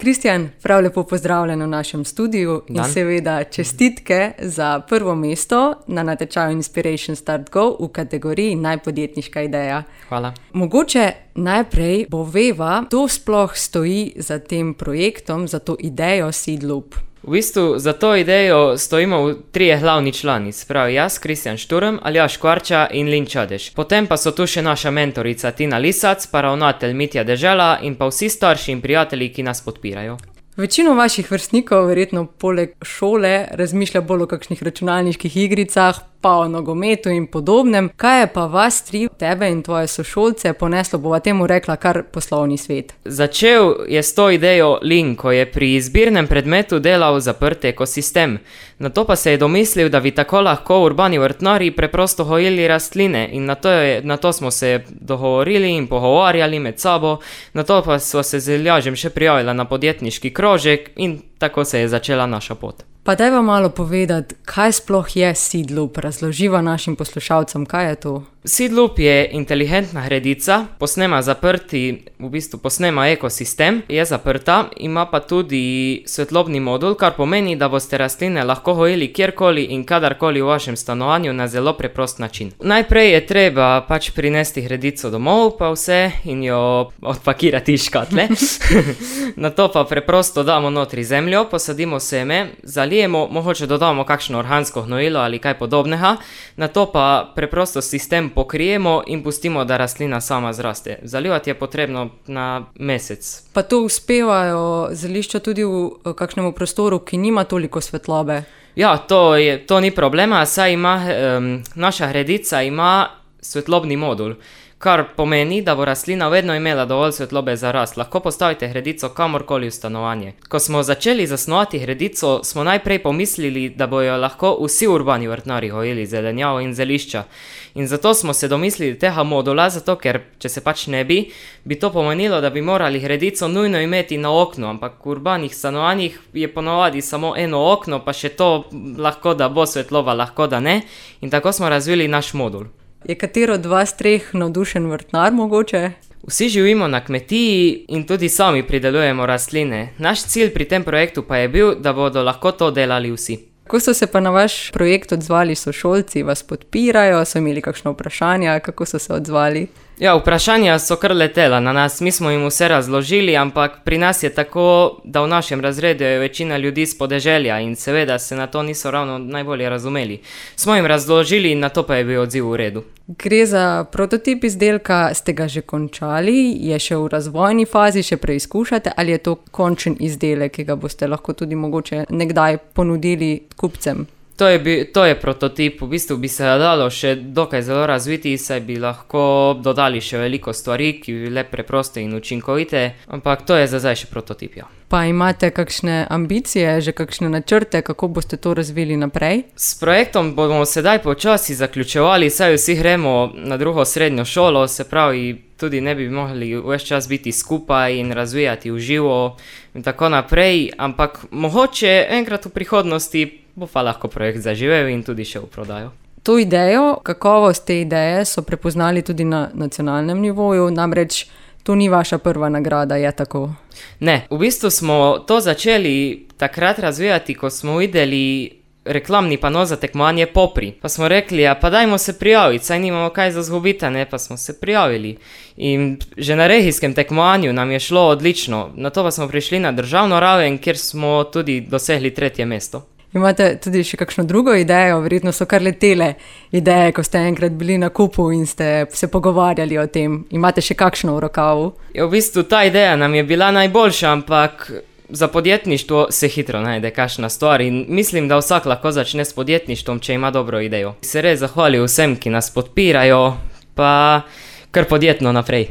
Kristjan, prav lepo pozdravljen v našem studiu in seveda čestitke za prvo mesto na natečaju Inspiration Start Go v kategoriji Najpodjetniška ideja. Hvala. Mogoče najprej poveva, kdo sploh stoji za tem projektom, za to idejo Seedloop. V bistvu za to idejo stojimo trije glavni člani, se pravi jaz, Kristjan Šturm, Aljaž Kvarča in Lin Čadež. Potem pa so tu še naša mentorica Tina Lisac, pa ravnatelj Mitja Dežela in pa vsi starši in prijatelji, ki nas podpirajo. Večino vaših vrstnikov verjetno poleg šole razmišlja bolj o kakšnih računalniških igricah, pa o nogometu in podobnem. Kaj je pa vas tri, tebe in tvoje sošolce, poneslo, bova temu rekla, kar poslovni svet? Začel je s to idejo Lin, ko je pri izbirnem predmetu delal zaprt ekosistem. Nato pa se je domislil, da bi tako lahko urbani vrtnarji preprosto gojili rastline in nato smo se dogovorili in pogovarjali med sabo, nato pa sva se z Aljažem še prijavila na podjetniški krožek in tako se je začela naša pot. Pa dajva malo povedati, kaj sploh je Seedloop, razloživa našim poslušalcem, kaj je to? Seedloop je inteligentna gredica, posnema ekosistem, je zaprta, ima pa tudi svetlobni modul, kar pomeni, da boste rastline lahko gojili kjerkoli in kadarkoli v vašem stanovanju na zelo preprost način. Najprej je treba pač prinesti gredico domov, pa vse in jo odpakirati iz škatle. Nato pa preprosto damo notri zemljo, posadimo seme, zalijemo, mogoče dodamo kakšno organsko gnojilo ali kaj podobnega, nato pa preprosto sistem pokrijemo in pustimo, da rastlina sama zraste. Zalivati je potrebno na mesec. Pa to uspevajo zelišča tudi v kakšnemu prostoru, ki nima toliko svetlobe? Ja, to ni problema, saj naša gredica ima svetlobni modul, kar pomeni, da bo rastlina vedno imela dovolj svetlobe za rast. Lahko postavite gredico kamorkoli v stanovanje. Ko smo začeli zasnovati gredico, smo najprej pomislili, da bojo lahko vsi urbani vrtnarji gojili zelenjavo in zelišča. In zato smo se domislili tega modula, zato ker, če se pač ne bi to pomenilo, da bi morali gredico nujno imeti na oknu, ampak v urbanih stanovanjih je ponavadi samo eno okno, pa še to lahko da bo svetloba, lahko da ne. In tako smo razvili naš modul. Je katero od vas treh navdušen vrtnar mogoče? Vsi živimo na kmetiji in tudi sami pridelujemo rastline. Naš cilj pri tem projektu pa je bil, da bodo lahko to delali vsi. Kako so se pa na vaš projekt odzvali sošolci? Vas podpirajo? So imeli kakšno vprašanja? Kako so se odzvali? Ja, vprašanja so kar letela na nas, mi smo jim vse razložili, ampak pri nas je tako, da v našem razredu je večina ljudi s podeželja in seveda se na to niso ravno najbolje razumeli. Smo jim razložili in nato pa je bil odziv v redu. Gre za prototip izdelka, ste ga že končali, je še v razvojni fazi, še preizkušate, ali je to končen izdelek, ki ga boste lahko tudi mogoče nekdaj ponudili kupcem? To je prototip, v bistvu bi se dalo še dokaj zelo razviti, saj bi lahko dodali še veliko stvari, ki bi bile preproste in učinkovite, ampak to je za zdaj še prototip, ja. Pa imate kakšne ambicije, že kakšne načrte, kako boste to razvili naprej? S projektom bomo sedaj počasi zaključevali, saj vsi gremo na drugo srednjo šolo, se pravi, tudi ne bi mogli ves čas biti skupaj in razvijati v živo in tako naprej, ampak mogoče enkrat v prihodnosti bo pa lahko projekt zaživel in tudi še v prodajo. To idejo, kakovost te ideje so prepoznali tudi na nacionalnem nivoju, namreč to ni vaša prva nagrada, je tako? Ne, v bistvu smo to začeli takrat razvijati, ko smo videli reklamni pano za tekmovanje Popri. Pa smo rekli, pa dajmo se prijaviti, saj nimamo kaj za zgubiti, pa smo se prijavili. In že na regijskem tekmovanju nam je šlo odlično, nato pa smo prišli na državno raven, kjer smo tudi dosegli 3. mesto. Imate tudi še kakšno drugo idejo, verjetno so kar letele ideje, ko ste enkrat bili na kupu in ste se pogovarjali o tem. Imate še kakšno v rokavu? V bistvu ta ideja nam je bila najboljša, ampak za podjetništvo se hitro najde kakšna stvar in mislim, da vsak lahko začne s podjetništvom, če ima dobro idejo. Se res zahvalil vsem, ki nas podpirajo, pa kar podjetno naprej.